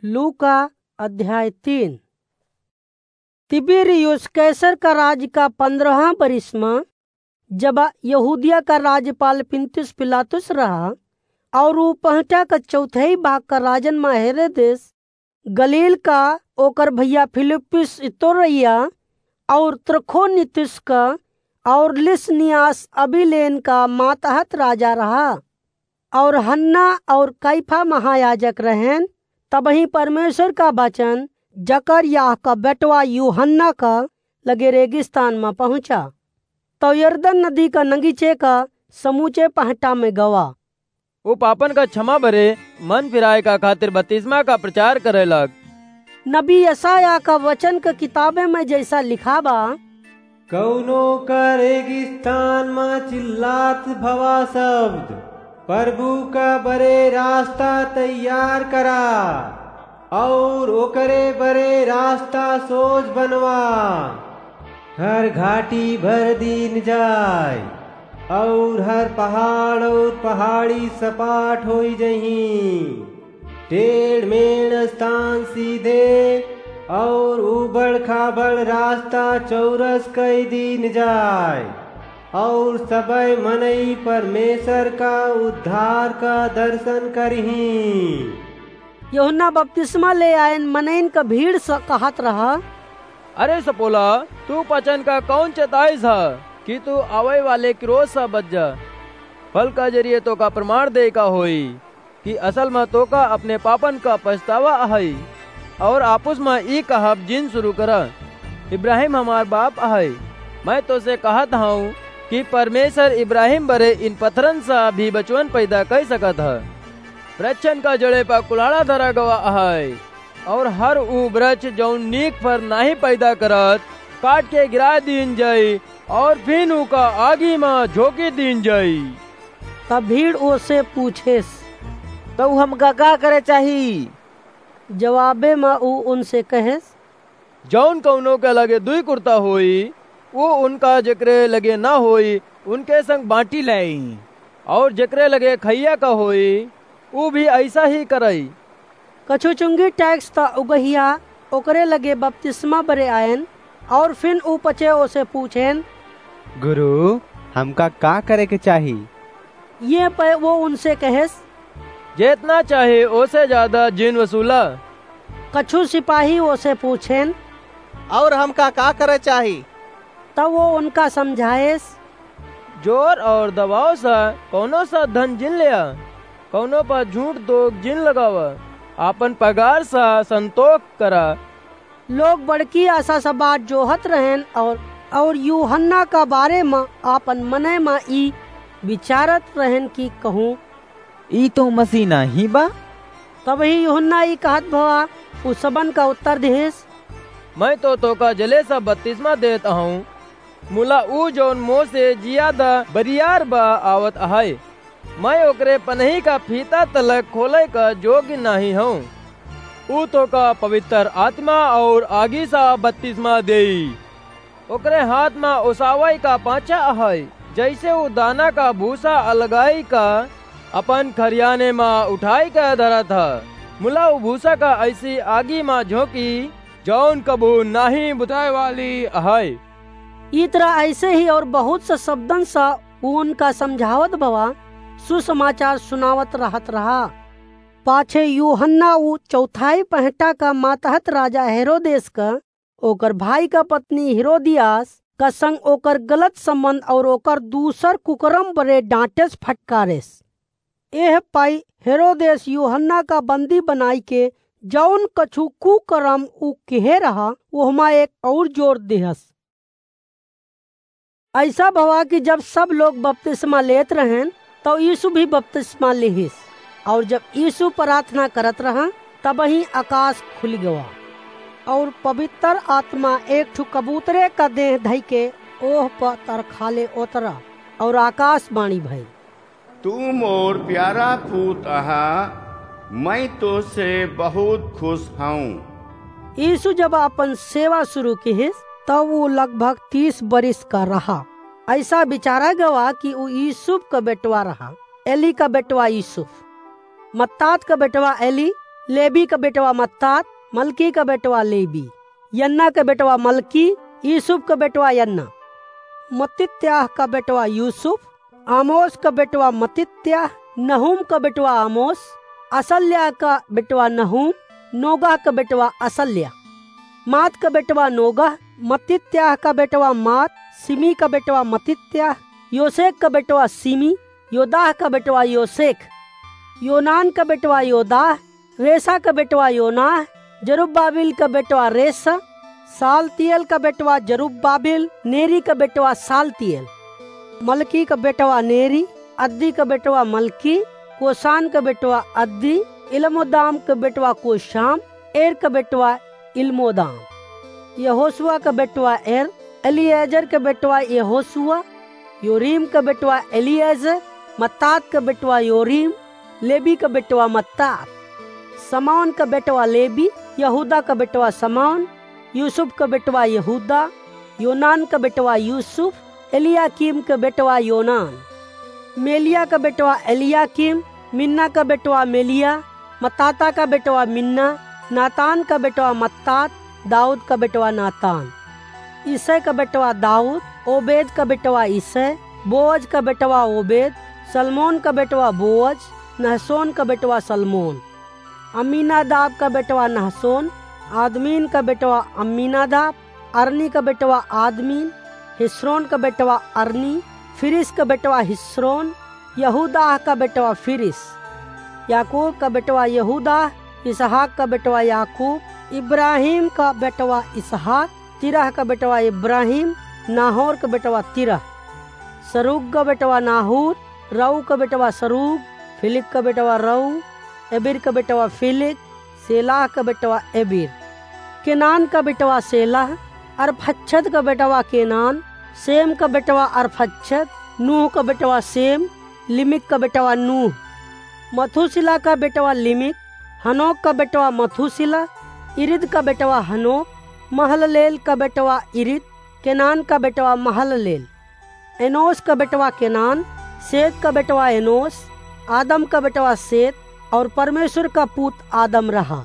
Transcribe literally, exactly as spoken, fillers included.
लूका अध्याय तीन। तिबिरियुस कैसर का राज का पन्द्रहवाँ बरिस मा, जब यहूदिया का राज्यपाल पुन्तियुस पिलातुस रहा, और ऊ पहटा का चौथाई भाग का राजन मा हेरोदेस, गलील का ओकर भैया फिलिप्पुस इतुरैया, और त्रखोनितिस का, और लिसनियास अबिलेन का मातहत राजा रहा। और हन्ना और कैफा महायाजक रहेन। तबहीं परमेश्वर का वचन जकरयाह का बेटवा यूहन्ना का लगे रेगिस्तान मा पहुँचा। तौ यरदन नदी का नगीचे का समूचे पहटा में गवा। ऊ पापन का क्षमा बरे मन फिराए का खातिर बतिस्मा का प्रचार करे लग। नबी यशायाह का वचन का किताबे में जैसा लिखा बा, कौनो का रेगिस्तान मा चिल्लात भवा शब्द, प्रभु का बरे रास्ता तैयार करा, और ओकरे बरे रास्ता सोज बनवा। हर घाटी भर दीन जाय, और हर पहाड़ और पहाड़ी सपाट होई जहीं। टेढ़ मेढ़ स्थान सीधे, और उबड़ खाबड़ रास्ता चौरस कई दीन जाय, और सबय मनई परमेश्वर का उद्धार का दर्शन करहीं। यूहन्ना बपतिस्मा ले आयन मनइन का भीड़ स कहत रहा, अरे सपोला, तू पचन का कौन चेताइस ह कि तू आवै वाले क्रोध स बच जा? फल का जरिए तोका प्रमाण दे का होई कि असल मा तोका अपने पापन का पछतावा अहई, और आपुस मा ई कहब जिन शुरू करा, इब्राहिम हमार बाप अहई। मैं तोसे कहत हूँ कि परमेश्वर इब्राहिम बरे इन पत्थरन सा भी बचवन पैदा कई सकत ह। वृक्षन का जड़े पर कुल्हाड़ा धरा गवा अहै, और हर ऊ वृक्ष जौन नीक फर नाहीं पैदा करत, काट के गिरा दीन जाई, और फिन ऊका आगी मा झोंकी दीन जाई। तब भीड़ ओसे पूछेस, "तौ हमका का करे चाही?" जवाबे मा ऊ उनसे कहेस, जौन कौनो के लगे दुई कुर्ता होई, ऊ उनका जेकरे लगे ना होई, उनके संग बाँटी लेई, और जेकरे लगे खइया का होई, ऊ भी ऐसा ही करई। कछु चुंगी टैक्स त उगहिया ओकरे लगे बपतिस्मा बरे आयन, और फिन ऊ पचे ओसे पूछेन, गुरु, हमका का करे के चाही? ये पे वो उनसे कहेस, जेतना चाहे ओसे ज्यादा जिन वसूला। कछु सिपाही ओसे पूछेन, और हमका का करे चाही? तब वो उनका समझाएस, जोर और दबाव सा कौनो सा धन जिन लेआ, कौनो पर झूठ दोग जिन लगावा, आपन पगार सा संतोख करा। लोग बड़की आशा सा बाट जोहत रहेन और, और यूहन्ना का बारे मा आपन मने मा ई विचारत रहेन कि कहूँ, ई तो मसीह नाहीं बा? तबही यूहन्ना ई कहत भवा उ सबन का उत्तर दिहिस, मैं तो तोका जले सा बपतिस्मा देत हूँ, मुला ऊ जौन मोसे जियादा बरियार बा आवत अहै। मैं ओकरे पनही का फीता तलक खोले का जोग्य नाहीं हूँ। ऊ तोका पवित्र आत्मा और आगी सा बपतिस्मा देई। ओकरे हाथ मा ओसावई का पाँचा अहै, जैसे ऊ दाना का भूसा अलगाई का अपन खरियाने मा उठाई का धरत ह। मुला ऊ भूसा का ऐसी आगी मा झोंकी, जौन कबहू नाहीं बुताए वाली अहै। ई तरह ऐसे ही और बहुत सा शब्दन सा ऊ उनका समझावत भवा सुसमाचार सुनावत रहत रहा। पाछे यूहन्ना ऊ चौथाई पहटा का मातहत राजा हेरोदेस का, ओकर भाई का पत्नी हेरोदियास का संग ओकर गलत संबंध और ओकर दूसर कुकरम बरे डांटेस फटकारेस। एह पाई हेरोदेस यूहन्ना का बंदी बनाई के जौन कछु कुकरम ऊ किहे रहा, ओहमा एक और जोर दिहस। ऐसा भवा कि जब सब लोग बपतिस्मा लेत रहेन, तो यीशु भी बपतिस्मा लिहिस। और जब यीशु प्रार्थना करत रहा, तबही आकाश खुलि गवा, और पवित्र आत्मा एक ठु कबूतरे का देह धइ के ओह प तरखाले उतरा, और आकाशवाणी भई, तू मोर प्यारा पूत अहा, मैं तोसे बहुत खुश हूँ। यीशु जब अपन सेवा शुरू किहिस, तब ऊ लगभग तीस बरिस का रहा। ऐसा बिचारा गवा कि ऊ यूसुफ का बेटवा रहा, एली का बेटवा यूसुफ, मत्तात का बेटवा एली, लेबी क बेटवा मत्तात, मलकी क बेटवा लेबी, यन्ना क बेटवा मलकी, यूसुफ क बेटवा यन्ना, मत्तित्याह क बेटवा यूसुफ, आमोस क बेटवा मत्तित्याह, नहूम क बेटवा आमोस, असल्याह क बेटवा नहूम, नोगह क बेटवा असल्याह। मात क बेटवा नोगह, मत्तित्याह क बेटवा मात, सिमी क बेटवा मत्तित्याह, योसेख क बेटवा सिमी, योदाह क बेटवा योसेख, योनान क बेटवा योदाह, रेसा क बेटवा योनाह, जरुब्बाबिल क बेटवा रेसा, सालतिएल क बेटवा जरुब्बाबिल, नेरी क बेटवा सालतिएल, मलकी क बेटवा नेरी, अद्दी क बेटवा मलकी, कोसान क बेटवा अद्दी, इलमोदाम क बेटवा कोशाम, एर क बेटवा इलमोदाम। यहोशुआ क बेटवा एर, एलीएजर क बेटवा यहोशुआ, योरीम क बेटवा एलीएजर, मत्तात क बेटवा योरीम, लेबी क बेटवा मत्तात। समौन क बेटवा लेबी, यहूदा क बेटवा समौन, यूसुफ क बेटवा यहूदा, योनान क बेटवा यूसुफ, एलियाकीम क बेटवा योनान। मेलिया क बेटवा एलियाकीम, मिन्ना क बेटवा मेलिया, मत्ताता क बेटवा मिन्ना, नातान क बेटवा मत्तात, दाऊद क बेटवा नातान। ईसै क बेटवा दाऊद, ओबेद क बेटवा ईसै, बोअज क बेटवा ओबेद, सलमोन क बेटवा बोअज, नहसोन क बेटवा सलमोन। अम्मीनादाब क बेटवा नहसोन, आदमीन क बेटवा अम्मीनादाब, अरनी क बेटवा आदमीन, हिस्रोन क बेटवा अरनी, फिरिस क बेटवा हिस्रोन, यहूदाह क बेटवा फिरिस। याकूब क बेटवा यहूदाह, इसहाक क बेटवा याकूब, इब्राहिम क बेटवा इसहाक, तिरह क बेटवा इब्राहिम, नाहोर क बेटवा तिरह। सरूग क बेटवा नाहूर, रऊ क बेटवा सरूग, फिलिग क बेटवा रऊ, एबिर क बेटवा फिलिग, सेलाह क बेटवा एबिर। केनान क बेटवा सेलाह, अरफक्षद क बेटवा केनान, सेम क बेटवा अरफक्षद, नूह क बेटवा सेम, लिमिक क बेटवा नूह। मथूशिलह क बेटवा लिमिक, हनोक क बेटवा मथूशिलह, इरिद क बेटवा हनोक, महललेल क बेटवा इरिद, केनान क बेटवा महललेल। एनोश क बेटवा केनान, शेत क बेटवा एनोश, आदम क बेटवा शेत, और परमेश्वर क पूत आदम रहा।